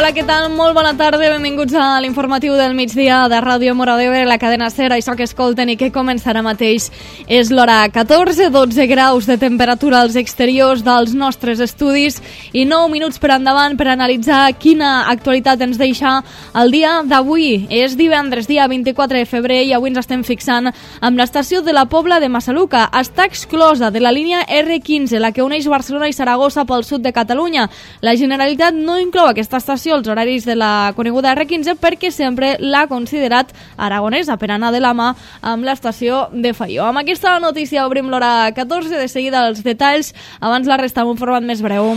Hola, què tal? Molt bona tarda, benvinguts a l'informatiu del migdia de Ràdio Mora d'Ebre, la cadena SER, això que escolten i que comença ara mateix. És l'hora 14, 12 graus de temperatura als exteriors dels nostres estudis i 9 minuts per endavant per analitzar quina actualitat ens deixa el dia d'avui. És divendres, dia 24 de febrer, i avui ens estem fixant amb l'estació de la Pobla de Massaluca. Està exclosa de la línia R15, la que uneix Barcelona i Saragossa pel sud de Catalunya. La Generalitat no inclou aquesta estació els horaris de la coneguda R15 perquè sempre l'ha considerat aragonesa per anar de la mà amb l'estació de Faió. Amb aquesta notícia obrim l'hora 14, de seguida els detalls, abans la resta en un format més breu.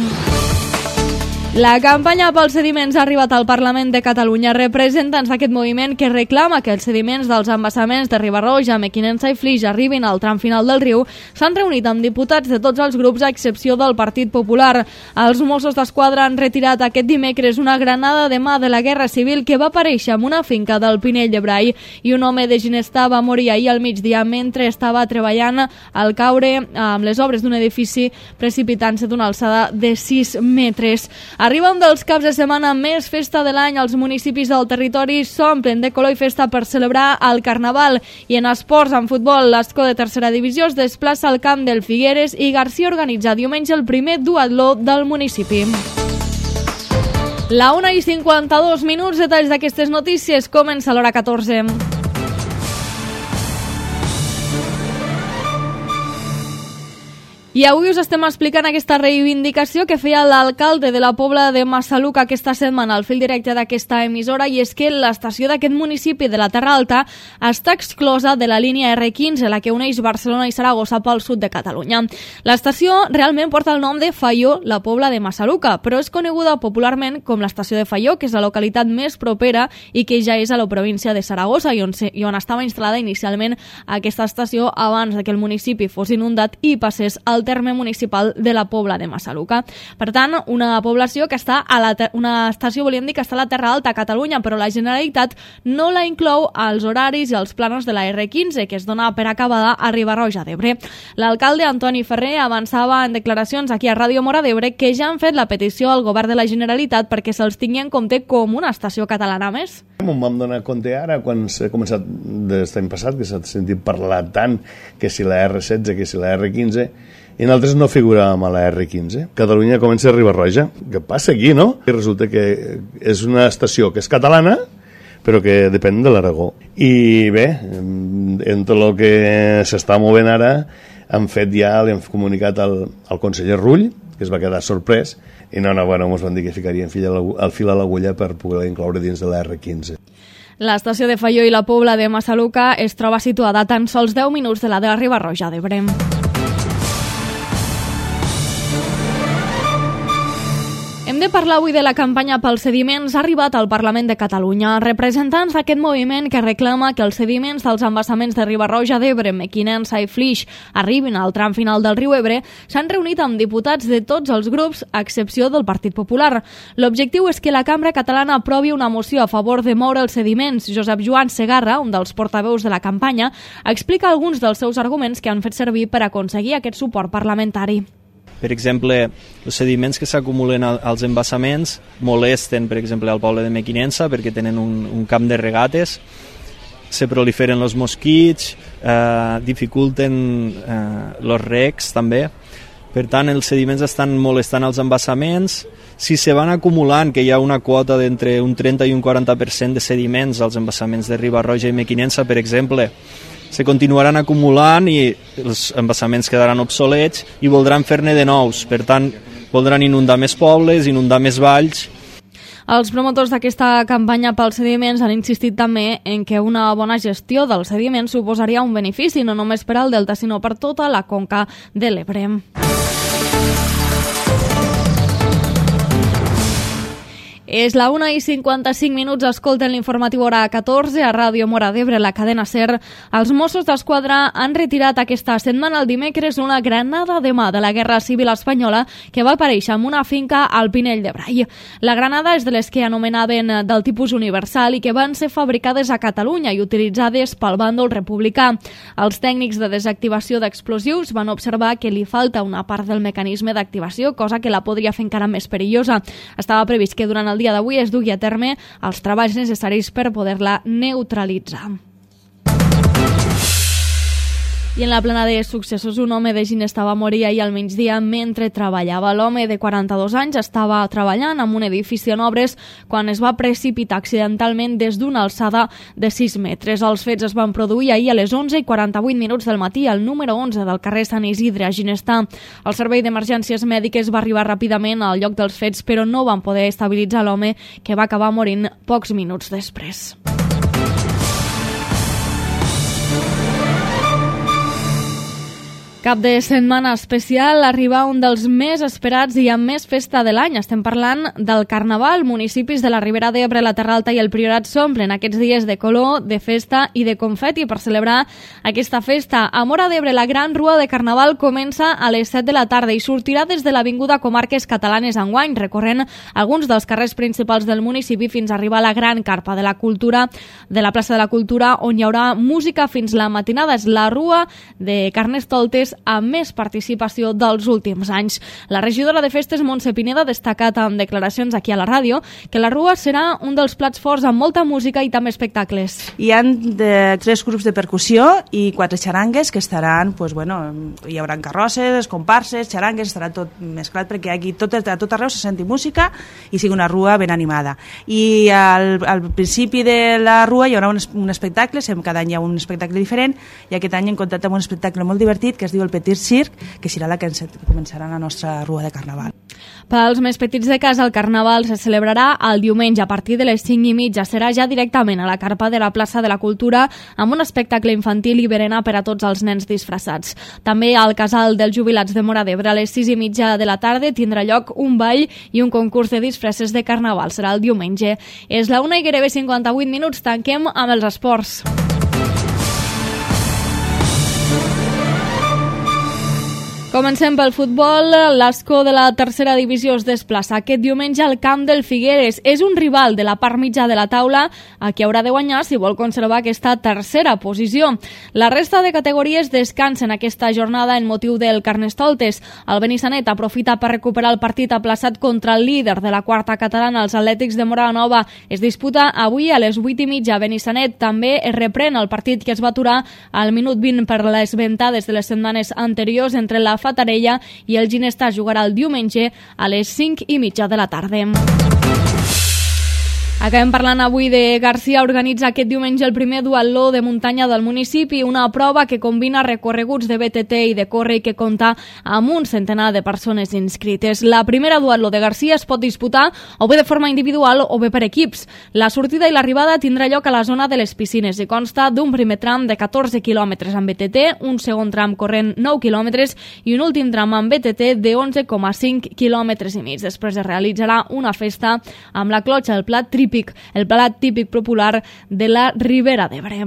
La campanya pels sediments ha arribat al Parlament de Catalunya. Representants d'aquest moviment que reclama que els sediments dels embassaments de Riba-roja, Mequinensa i Flix arribin al tram final del riu s'han reunit amb diputats de tots els grups a excepció del Partit Popular. Els Mossos d'Esquadra han retirat aquest dimecres una granada de mà de la Guerra Civil que va aparèixer en una finca del Pinell de Brai, i un home de Ginestà va morir ahir al migdia mentre estava treballant al caure amb les obres d'un edifici precipitant-se d'una alçada de 6 metres. Arriba un dels caps de setmana més festa de l'any. Els municipis del territori s'omplen de color i festa per celebrar el Carnaval. I en esports, en futbol, l'Escó de tercera divisió es desplaça al camp del Figueres i Garcia organitza diumenge el primer duatló del municipi. La 1:52, detalls d'aquestes notícies, comença l'hora 14. I avui us estem explicant aquesta reivindicació que feia l'alcalde de la Pobla de Massaluca aquesta setmana al fil directe d'aquesta emissora, i és que l'estació d'aquest municipi de la Terra Alta està exclosa de la línia R15, la que uneix Barcelona i Saragossa pel sud de Catalunya. L'estació realment porta el nom de Faió, la Pobla de Massaluca, però és coneguda popularment com l'estació de Faió, que és la localitat més propera i que ja és a la província de Saragossa i on estava instal·lada inicialment aquesta estació abans que el municipi fos inundat i passés al terme municipal de la Pobla de Massaluca. Per tant, una població que està una estació, volíem dir, que està a la Terra Alta a Catalunya, però la Generalitat no la inclou als horaris i als plànols de la R15, que es dona per acabada a Riba-roja d'Ebre. L'alcalde Antoni Ferrer avançava en declaracions aquí a Ràdio Mora d'Ebre que ja han fet la petició al govern de la Generalitat perquè se'ls tingui en compte com una estació catalana més. Em vam donar compte ara, quan s'ha començat des l'any passat, que s'ha sentit parlar tant que si la R16, que si la R15, i nosaltres no figuràvem a la R15. Catalunya comença a Riba-roja. Què passa aquí, no? I resulta que és una estació que és catalana, però que depèn de l'Aragó. I bé, en tot el que s'està movent ara, li hem comunicat al conseller Rull, que es va quedar sorprès, i ens van dir que ficarien el fil a l'agulla per poder incloure dins de la R15. L'estació de Faió i la Pobla de Massaluca es troba situada a tan sols 10 minuts de la Riba-roja d'Ebre. Hem de parlar avui de la campanya pels sediments. Ha arribat al Parlament de Catalunya. Representants d'aquest moviment que reclama que els sediments dels embassaments de Riba-roja d'Ebre, Mequinensa i Flix arribin al tram final del riu Ebre s'han reunit amb diputats de tots els grups, a excepció del Partit Popular. L'objectiu és que la Cambra Catalana aprovi una moció a favor de moure els sediments. Josep Joan Segarra, un dels portaveus de la campanya, explica alguns dels seus arguments que han fet servir per aconseguir aquest suport parlamentari. Per exemple, els sediments que s'acumulen als embassaments molesten, per exemple, al poble de Mequinensa perquè tenen un camp de regates, se proliferen els mosquits, dificulten els recs també. Per tant, els sediments estan molestant els embassaments. Si se van acumulant, que hi ha una quota d'entre un 30 i un 40% de sediments als embassaments de Riba-roja i Mequinensa, per exemple, se continuaran acumulant i els embassaments quedaran obsolets i voldran fer-ne de nous. Per tant, voldran inundar més pobles, inundar més valls. Els promotors d'aquesta campanya pels sediments han insistit també en que una bona gestió dels sediments suposaria un benefici no només per al Delta, sinó per tota la conca de l'Ebre. És la 1:55, escolten l'informatiu hora 14 a Ràdio Mora d'Ebre, la cadena SER. Els Mossos d'Esquadra han retirat aquesta setmana, el dimecres, una granada de mà de la Guerra Civil Espanyola que va aparèixer en una finca al Pinell de Brai. La granada és de les que anomenaven del tipus universal i que van ser fabricades a Catalunya i utilitzades pel bàndol republicà. Els tècnics de desactivació d'explosius van observar que li falta una part del mecanisme d'activació, cosa que la podria fer encara més perillosa. Estava previst que durant el el dia d'avui es dugui a terme els treballs necessaris per poder-la neutralitzar. I en la plana de successos, un home de Ginesta va morir ahir al migdia mentre treballava. L'home de 42 anys estava treballant en un edifici en obres quan es va precipitar accidentalment des d'una alçada de 6 metres. Els fets es van produir ahir a les 11:48 del matí al número 11 del carrer Sant Isidre a Ginesta. El servei d'emergències mèdiques va arribar ràpidament al lloc dels fets, però no van poder estabilitzar l'home, que va acabar morint pocs minuts després. Cap de setmana especial, arriba un dels més esperats i amb més festa de l'any. Estem parlant del Carnaval. Municipis de la Ribera d'Ebre, la Terra Alta i el Priorat s'omplen aquests dies de color, de festa i de confeti per celebrar aquesta festa. A Móra d'Ebre, la gran rua de Carnaval comença a les 7 de la tarda i sortirà des de l'Avinguda Comarques Catalanes enguany, recorrent alguns dels carrers principals del municipi fins a arribar a la gran carpa de la cultura, de la plaça de la Cultura, on hi haurà música fins la matinada. És la rua de Carnestoltes amb més participació dels últims anys. La regidora de festes, Montse Pineda, ha destacat en declaracions aquí a la ràdio que la rua serà un dels plats forts amb molta música i també espectacles. Hi ha 3 grups de percussió i 4 xarangues que estaran, hi haurà carrosses, comparses, xarangues, estarà tot mesclat perquè aquí a tot arreu se senti música i sigui una rua ben animada. I al principi de la rua hi haurà un espectacle, cada any hi ha un espectacle diferent, i aquest any hem comptat amb un espectacle molt divertit que es diu el Petit Circ, que serà la que començarà la nostra rua de Carnaval. Pels més petits de casa, el Carnaval se celebrarà el diumenge a partir de les 5:30. Serà ja directament a la carpa de la plaça de la Cultura amb un espectacle infantil i berenar per a tots els nens disfressats. També al Casal dels Jubilats de Móra d'Ebre a les 6:30 de la tarda tindrà lloc un ball i un concurs de disfresses de Carnaval. Serà el diumenge. És la 1 i gairebé 58 minuts. Tanquem amb els esports. Comencem pel futbol. L'Ascó de la tercera divisió es desplaça aquest diumenge al camp del Figueres. És un rival de la part mitja de la taula a qui haurà de guanyar si vol conservar aquesta tercera posició. La resta de categories descansen aquesta jornada en motiu del Carnestoltes. El Benissanet aprofita per recuperar el partit aplaçat contra el líder de la quarta catalana, els Atlètics de Móra la Nova. Es disputa avui a les 8:30 a Benissanet. També es reprèn el partit que es va aturar al minut 20 per les ventades de les setmanes anteriors entre la Fatarella i el Ginestà. Jugarà el diumenge a les 5:30 de la tarda. Acabem parlant avui de Garcia. Organitza aquest diumenge el primer duatló de muntanya del municipi, una prova que combina recorreguts de BTT i de córrer i que compta amb un centenar de persones inscrites. La primera duatló de Garcia es pot disputar o bé de forma individual o bé per equips. La sortida i l'arribada tindrà lloc a la zona de les piscines i consta d'un primer tram de 14 quilòmetres amb BTT, un segon tram corrent 9 quilòmetres i un últim tram amb BTT de 11,5 quilòmetres i mig. Després es realitzarà una festa amb la clotxa, el plat típic popular de la Ribera d'Ebre.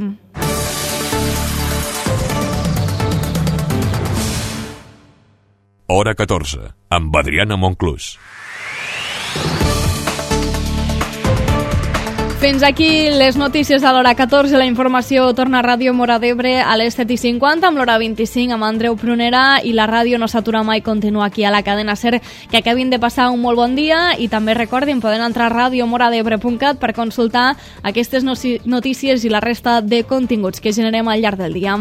Hora 14, amb Adriana Monclús. Fins aquí les notícies a l'hora 14. La informació torna a Ràdio Móra d'Ebre a les 7:50 amb l'hora 25 amb Andreu Prunera, i la ràdio no s'atura mai, continua aquí a la cadena SER. Que acabin de passar un molt bon dia i també recordin, poden entrar a radiomoradebre.cat per consultar aquestes notícies i la resta de continguts que generem al llarg del dia.